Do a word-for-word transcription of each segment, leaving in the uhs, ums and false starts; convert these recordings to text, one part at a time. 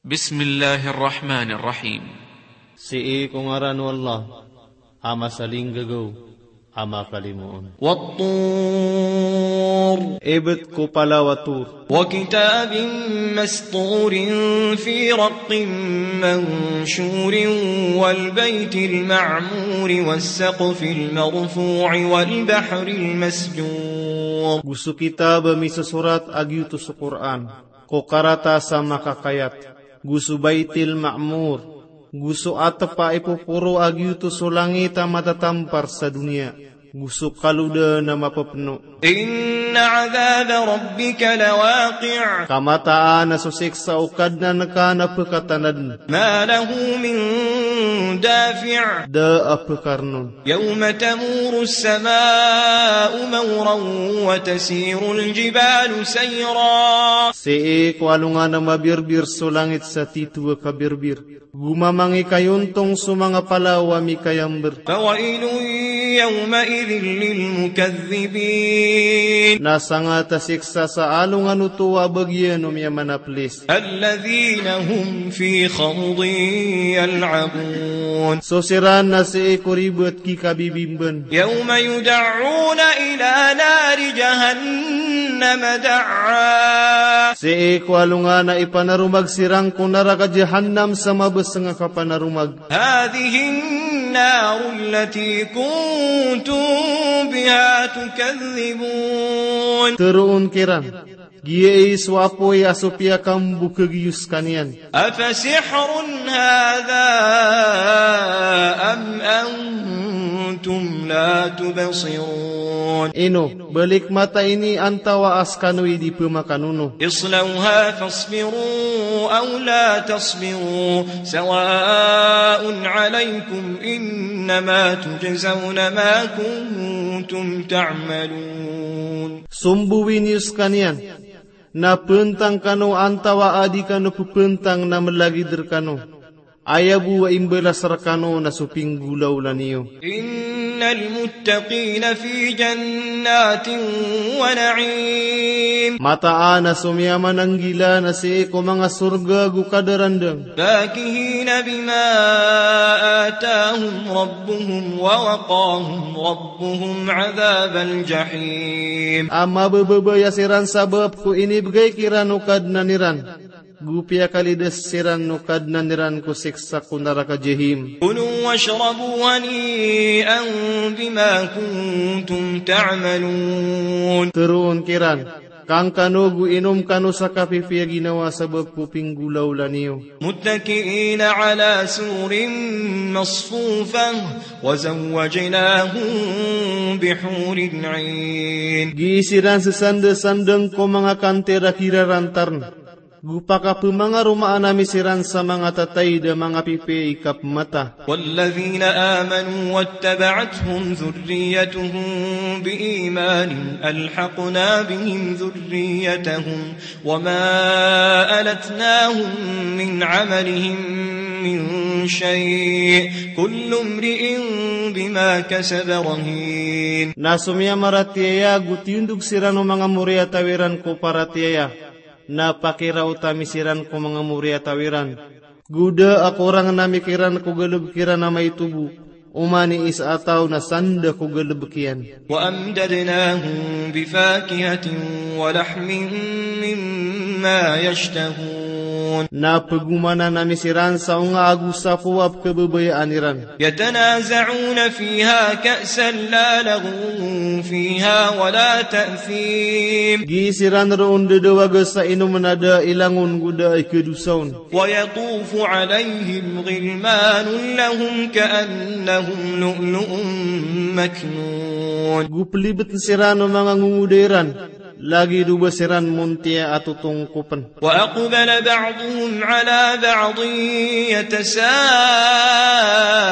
Bismillahir Rahmanir Rahim. Sii ko ngaran o Allah, a masalinggagaw, a makalimoon. Wat-tur. Ibet ko palaw a Tur. Wa kitabin masturin fi raqqin manshurin wal baytil ma'muri was saqfil marfu'i wal bahril masjur. Go so kitab a misosorat a giyoto so Qur'an, ko karatas a makakayat, go so Baytil Ma'mur, go so atep a ipoporo a giyoto so langit a matatampar sa doniya, go so kalodan a mapepeno. Inna adhaba rabbika lawaqi'. Ka mataan a so siksa o Kadnan ka na pekatanaden. Ma lahu min dafi'. Da a pekarnon. Yawma tamurus sama'u mawran wa tasirul jibalu sayra. Sii ko alongan a mabirbir so langit sa tito a kabirbir, go mamangikayontong so manga palaw a mikayamber. Fawailun yawma'idhin lil mukaththibin. Na sangat a siksa sa alongan oto a bagian o miyamanaplis. Alladhina hum fi khawdin yal'abun. So siran na sii ko ribet kikabibimban. Yawma yud'auna ila nari jahannama da'wa. Sii ko alongan a ipanaromag siran ko naraka Jahannam sa mabeseng a kapanaromag. Hadhihin naru allati kuntum biha tukadhdhibun. Teroon kiran, giyai so apoy a so piyakambokeg iyo sekaniyan. Afasihrun hadha am antum la tubsirun. Ino, balik mata ini antawaa sekano i di pemakanono. Islawha fasbiru aw la tasbiru sawa'un alaykum innama tujzawna ma kuntum ta'malun. Sombowi niyo sekaniyan, na pentang kano antawaa di kano pepentang na melagid rekano. Aya bo a imbalas rekano na so pinggolawla niyo. Innal muttaqina fi jannatin wa na'im. Mataan a so miyamananggila na sii ko manga sorga go kadarandang. Fakihina bima atahum rabbuhum wa waqahum rabbuhum adhabal jahim. A mabababaya siran sabap ko inibegay kiran o Kadnan iran, go piyakalidas siran o Kadnan iran ko siksa ko naraka Jahim. Kulu washrabu hani'an bima kuntum ta'malun. Teroon kiran, kang kano go inom kano sa kapipiya ginawa sabap ko pinggolawla niyo. Muttaki'ina ala sururin masfufah, wa zawwajnahum bihurin 'ain. Gii siran sesandasandang ko manga kantir a kirarantarn, go pakapemangaromaan ami siran sa manga tataid a manga pipiya i kapemata. Walladhina amanu wattaba'athum dhurriyyatuhum bi imanin alhaqna bihim dhurriyyatahum wa ma alatnahum min 'amalihim min shay', kullu imri'in bima kasaba rahin. Na so miyamaratiyaya go tiyondog siran o manga moriyataw iran ko paratiyaya, na pakiraot ami siran ko manga moriyataw iran. Go da a korang ami kiran ko galebek iran a maito bo, oman i isa a taw na sanda ko galebek iyan. Wa amdadnahum bi fakihatin wa lahmin mimma yashtahun. Na pegomanan ami siran sa onga ago sapo a pekebabayaan iran. Yatanaza'una fiha ka'san la laghwun fiha wa la ta'thim. Gii siran roo ndadawaga sa inomen a da i langon go da i kedosa on. Wa yatufu alayhim ghilmanun lahum ka'annahum lu'lu'un maknun. Go pelibeten siran o manga ngongoda iran, lagid o ba siran montiya a totongkopen. Wa aqbala ba'duhum ala ba'din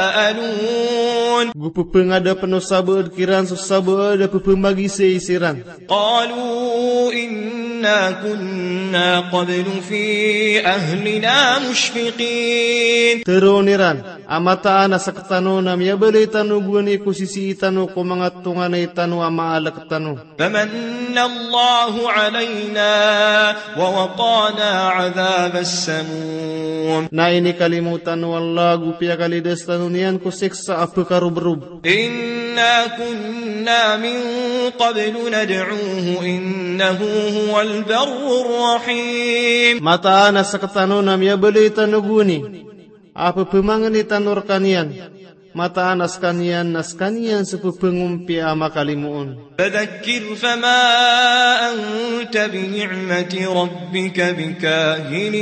yatasa'alun. Go pepengadapen o sabaad kiran so sabaad a pepemagisay siran. Qalu inna kunna qablu fi ahlina mushfiqin. Teroon iran, a mataan a sektano na miyabalay tano bo ani ko sisii tano ko manga tonganay tano a maalek tano. Famanna Allahu alayna wa waqana adhabas samum. Na inikalimo tano o Allah go piyakalidas tano niyan ko siksa a pkarobrob. إنا كنا من قبل ندعوه إنه هو البر الرحيم. Mataan a sktano na miyabaloy tano gowani a pphamangni tano rkaniyan. Mataan a skaniyan na skaniyan so pphangompiyaan a makalimoon. فذكر فما أنت بنعمة ربك بكاهن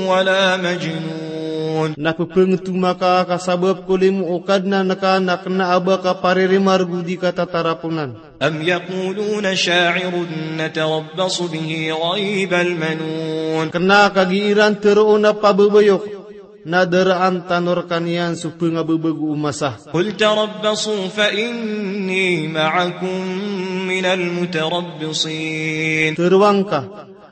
ولا مجنون. Na pphanthoma ka ka sabap ko limo o Kadnan ka na kna a ba ka paririmargo di ka tataraponan. أم يقولون شاعر نتربص به ريب المنون. Kna ka gii ran tharoon a pababayok na daraan tano rkaniyan so pngababago o masa. قل تربصوا فإني معكم من المتربصين. Tharoang ka,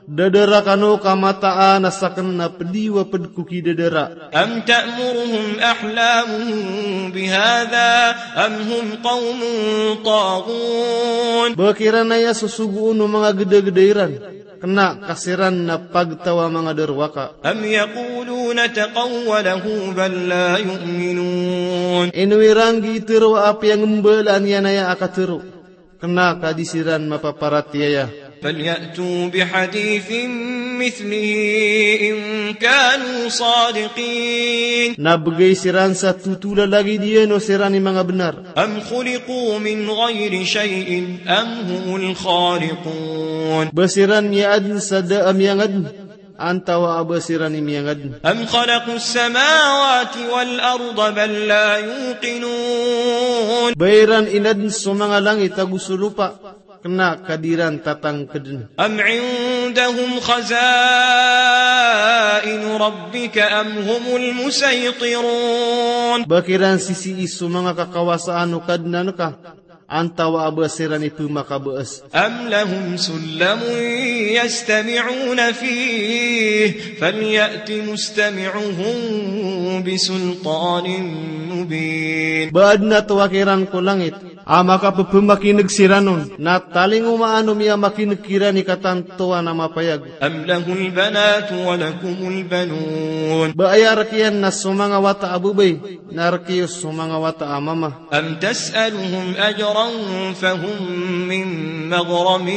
dadara kano ka mataan a sakn na pd iyo a pd ko kidadara. أم تأمرهم أحلامهم بهذا أم هم قوم طاغون. Ba kiran aya sosogoon o manga gdagda iran, kna ka siran na pagtaw a manga darowaka. أم يقولون تقوله بل لا يؤمنون. Ino iran gii tharoa a piyangembalaan iyan aya a katharo, kna ka di siran mapaparatiyaya. فليأتوا بحديث مثله إن كانوا صادقين. Na bgay siran sa totola lagid iyan o siran i manga bnar. أم خلقوا من غير شيء أم هم الخالقون. Ba siran miyaadn sa da a miyangadn, antawaa ba siran i miyangadn. أم خلقوا السماوات والأرض بل لا يوقنون. Ba iran inadn so manga langit ago so lopa, kna ka di ran tatangkdn. أم عندهم خزائن ربك أم هم المسيطرون. Ba kiran sisii so manga kakawasaan o Kadnan ka, antawaa ba siran i pmakabaas. أم لهم سلم يستمعون فيه فليأت مستمعهم بسلطان مبين. Ba adn a towa kiran ko langit a makappmakin'g siran on, na talingomaan o miyamakin'g kiran i katantowan a mapayag. أم له البنات ولكم البنون. Ba aya rk iyan na so manga wata a babay, na rk iyo so manga wata a mama. أم تسألهم أجرا فهم من مغرم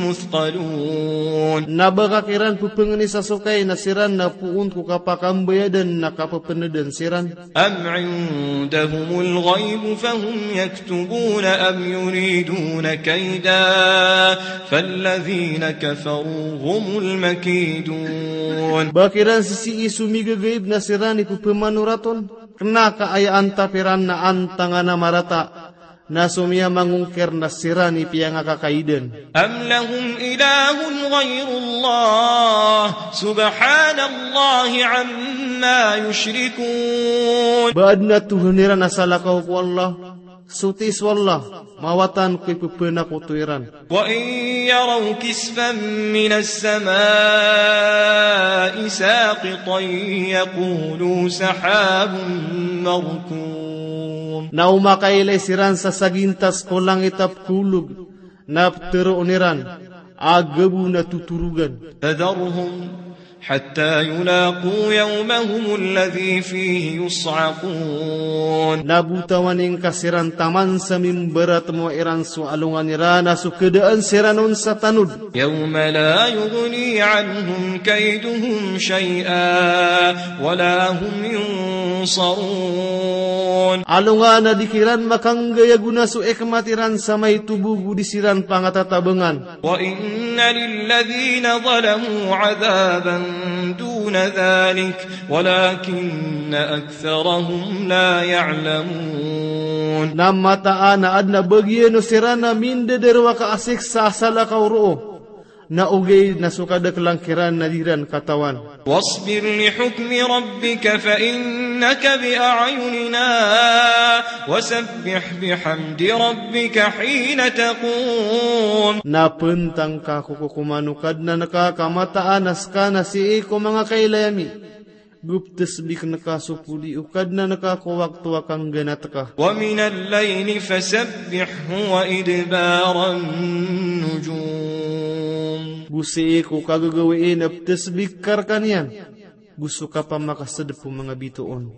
مثقلون. Na ba ka kiran pphangnisa so kai na siran na poon ko kapakambayadan na kapapndan siran. أم عندهم الغيب فهم يكتبون أم يريدون كيدا فالذين كفروا هم المكيدون. Ba kiran sisii so migagaib na siran i pphamanorat on, kna ka aya antap iran na antangan a marata, na so miyamangongkir na siran i piyangakakaidan. أم لهم إله غير الله سبحان الله عما يشركون. Ba adn a tohan iran a salakaw ko Allah, soti so Allah, mawatan ko ippanakoto iran. وإن يروا كسفا من السماء ساقطا يقولوا سحاب مركوم. Na o makailay siran sa sagintas ko langit a pkhaolog, na ptharoon iran a gabo na totorogan. فذرهم حتى يلاقوا يومهم الذي فيه يصعقون. Na botawan ingka siran taman sa mimbaratmo iran so alongan iran a so khadaan siran on sa tanod. يوم لا يغني عنهم كيدهم شيئا ولا هم ينصرون. Alongan a di kiran makanggay a gona so ikmat iran sa maito bo go di siran pangatatabngan. وإن للذين ظلموا عذابا دون ذلك ولكن أكثرهم لا يعلمون. Na mataan a adn a bagian o siran a mindadarowaka a siksa a salakaw roo, na ogaid na so kadaklan kiran na di ran katawan. واصبر لحكم ربك فإنك بأعيننا وسبح بحمد ربك حين تقوم. Na pntang ka ko kokoman o Kadnan ka ka mataan a ska na sii ko manga kailay ami, go ptsbikn ka so podi o Kadnan ka ko wakto a kangganat ka. ومن الليل فسبحه وإدبار النجوم. Go sii ko kagagawii na ptsbik ka rkaniyan go so kapamakasdp o manga bitoon.